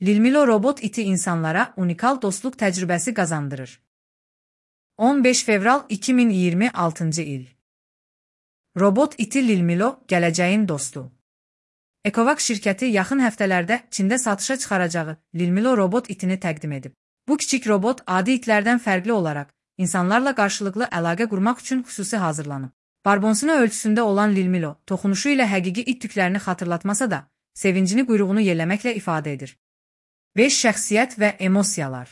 Lilmilo robot iti insanlara unikal dostluq təcrübəsi qazandırır. 15 fevral 2026 il. Robot iti Lilmilo gələcəyin dostu. Ecovac şirkəti yaxın həftələrdə Çində satışa çıxaracağı Lilmilo robot itini təqdim edib. Bu kiçik robot adi itlərdən fərqli olaraq insanlarla qarşılıqlı əlaqə qurmaq üçün xüsusi hazırlanıb. Barbonsuna ölçüsündə olan Lilmilo toxunuşu ilə həqiqi it tüklərini xatırlatmasa da, sevincini quyruğunu yelləməklə ifadə edir. 5 şəxsiyyət və emosiyalar.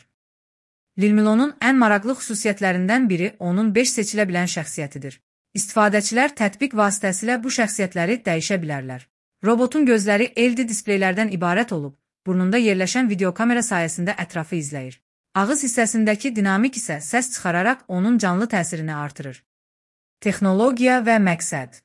Lilmilonun ən maraqlı xüsusiyyətlərindən biri onun 5 seçilə bilən şəxsiyyətidir. İstifadəçilər tətbiq vasitəsilə bu şəxsiyyətləri dəyişə bilərlər. Robotun gözləri LCD displeylərdən ibarət olub, burnunda yerləşən videokamera sayəsində ətrafı izləyir. Ağız hissəsindəki dinamik isə səs çıxararaq onun canlı təsirini artırır. Texnologiya və məqsəd.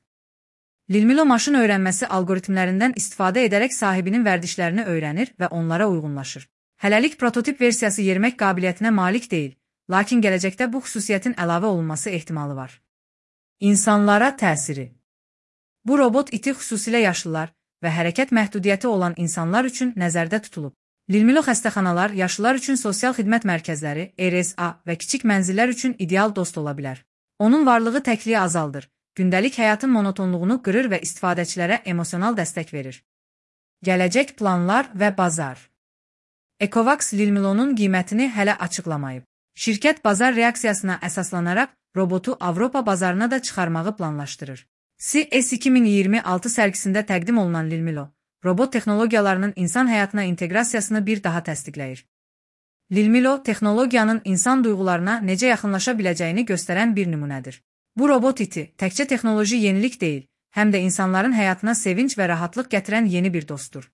Lilmilo maşın öyrənməsi algoritmlərindən istifadə edərək sahibinin vərdişlərini öyrənir və onlara uyğunlaşır. Hələlik prototip versiyası yerimək qabiliyyətinə malik deyil, lakin gələcəkdə bu xüsusiyyətin əlavə olunması ehtimalı var. İnsanlara təsiri. Bu robot iti xüsusilə yaşlılar və hərəkət məhdudiyyəti olan insanlar üçün nəzərdə tutulub. Lilmilo xəstəxanalar, yaşlılar üçün sosial xidmət mərkəzləri, RSA və kiçik mənzillər üçün ideal dost ola bilər. Onun varlığı təkliyi azaldır, gündəlik həyatın monotonluğunu qırır və istifadəçilərə emosional dəstək verir. Gələcək planlar və bazar. Ecovac Lilmilonun qiymətini hələ açıqlamayıb. Şirkət bazar reaksiyasına əsaslanaraq robotu Avropa bazarına da çıxarmağı planlaşdırır. CES 2026 sərgisində təqdim olunan Lilmilo, robot texnologiyalarının insan həyatına inteqrasiyasını bir daha təsdiqləyir. Lilmilo, texnologiyanın insan duyğularına necə yaxınlaşa biləcəyini göstərən bir nümunədir. Bu robot iti təkcə texnoloji yenilik deyil, həm də insanların həyatına sevinç və rahatlıq gətirən yeni bir dostdur.